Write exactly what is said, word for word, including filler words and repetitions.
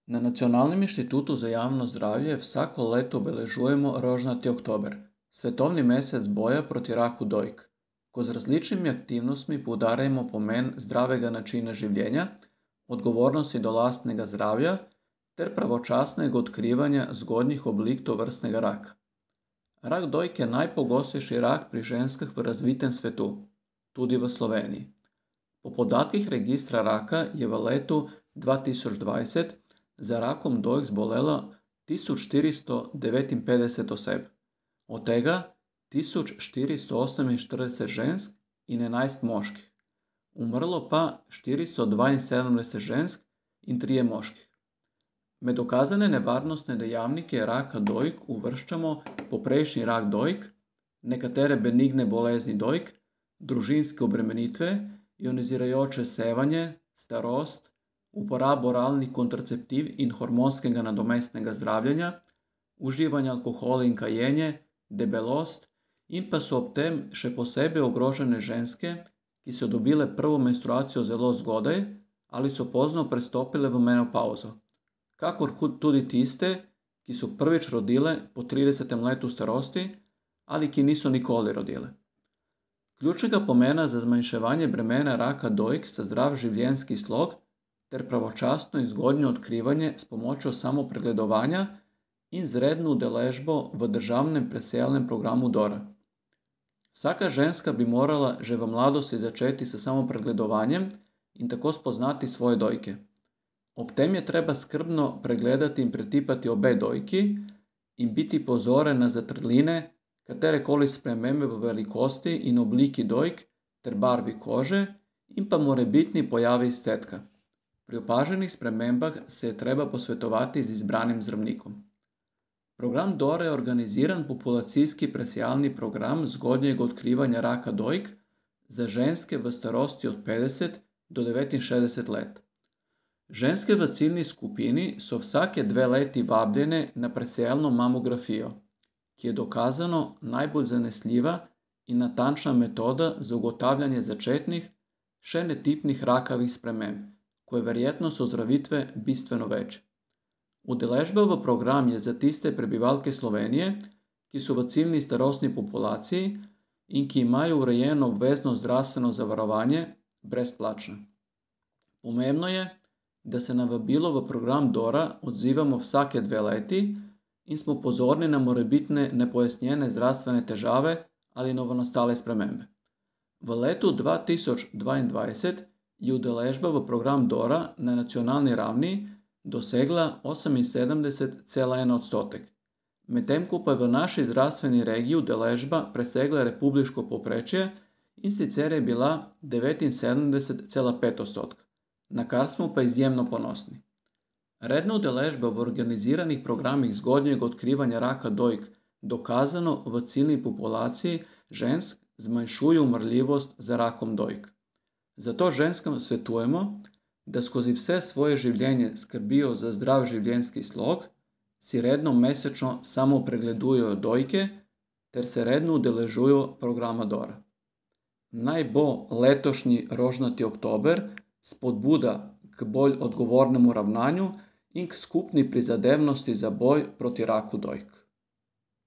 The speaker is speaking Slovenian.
Na Nacionalnem inštitutu za javno zdravje vsako leto obeležujemo rožnati oktober, svetovni mesec boja proti raku dojk, ko z različnimi aktivnostmi poudarjamo pomen zdravega načina življenja, odgovornosti do lastnega zdravja ter pravočasnega odkrivanja zgodnjih oblik tovrstnega raka. Rak dojk je najpogostejši rak pri ženskah v razvitem svetu, tudi v Sloveniji. Po podatkih registra raka je v letu dva tisoč dvajset za rakom dojk zbolelo tisoč štiristo devetinpetdeset oseb, od tega tisoč štiristo oseminštirideset žensk in enajst moških, umrlo pa štiristo dvainsedemdeset žensk in trije moški. Med dokazane nevarnostne dejavnike raka dojk uvrščamo poprejšnji rak dojk, nekatere benigne bolezni dojk, družinske obremenitve, ionizirajoče sevanje, starost, uporabo oralnih kontraceptiv in hormonskega nadomestnega zdravljenja, uživanje alkohola in kajenje, debelost in pa so ob tem še posebej ogrožene ženske, ki so dobile prvo menstruacijo zelo zgodaj ali so pozno prestopile v menopavzo, kakor tudi tiste, ki so prvič rodile po tridesetem letu starosti ali ki niso nikoli rodile. Ključnega pomena za zmanjševanje bremena raka dojk sta zdrav življenjski slog ter pravočasno in zgodnje odkrivanje s pomočjo samopregledovanja in z redno udeležbo v državnem presejalnem programu Dora. Vsaka ženska bi morala že v mladosti začeti s samopregledovanjem in tako spoznati svoje dojke. Ob tem je treba skrbno pregledati in pretipati obe dojki in biti pozoren na zatrdline, katerekoli spremembe v velikosti in obliki dojk ter barvi kože in pa morebitni pojavi izcedka. Pri opaženih spremembah se je treba posvetovati z izbranim zdravnikom. Program Dora je organiziran populacijski presejalni program zgodnjega odkrivanja raka dojk za ženske v starosti od petdeset do devetinšestdeset let. Ženske v ciljni skupini so vsake dve leti vabljene na presejalno mamografijo, ki je dokazano najbolj zanesljiva in natančna metoda za ugotavljanje začetnih, še netipnih rakavih sprememb, ko je verjetnost ozdravitve bistveno več. Udeležba v program je za tiste prebivalke Slovenije, ki so v ciljni starostni populaciji in ki imajo urejeno obvezno zdravstveno zavarovanje, brezplačna. Pomembno je, da se na vabilo v program Dora odzivamo vsake dve leti in smo pozorni na morebitne nepojasnjene zdravstvene težave ali novonastale spremembe. V letu dva tisoč dvaindvajset je udeležba v program Dora na nacionalni ravni dosegla oseminsedemdeset cela en odstotek, medtem ko pa je v naši zdravstveni regiji udeležba presegla republiško povprečje in sicer je bila devetinsedemdeset cela pet odstotka, na kar smo pa izjemno ponosni. Redna udeležba v organiziranih programih zgodnjega odkrivanja raka dojk dokazano v ciljni populaciji žensk zmanjšuje umrljivost za rakom dojk. Zato ženskam svetujemo, da skozi vse svoje življenje skrbijo za zdrav življenjski slog, si redno mesečno samopregledujejo dojke ter se redno udeležujejo programa Dora. Naj bo letošnji rožnati oktober spodbuda k bolj odgovornemu ravnanju in k skupni prizadevnosti za boj proti raku dojk.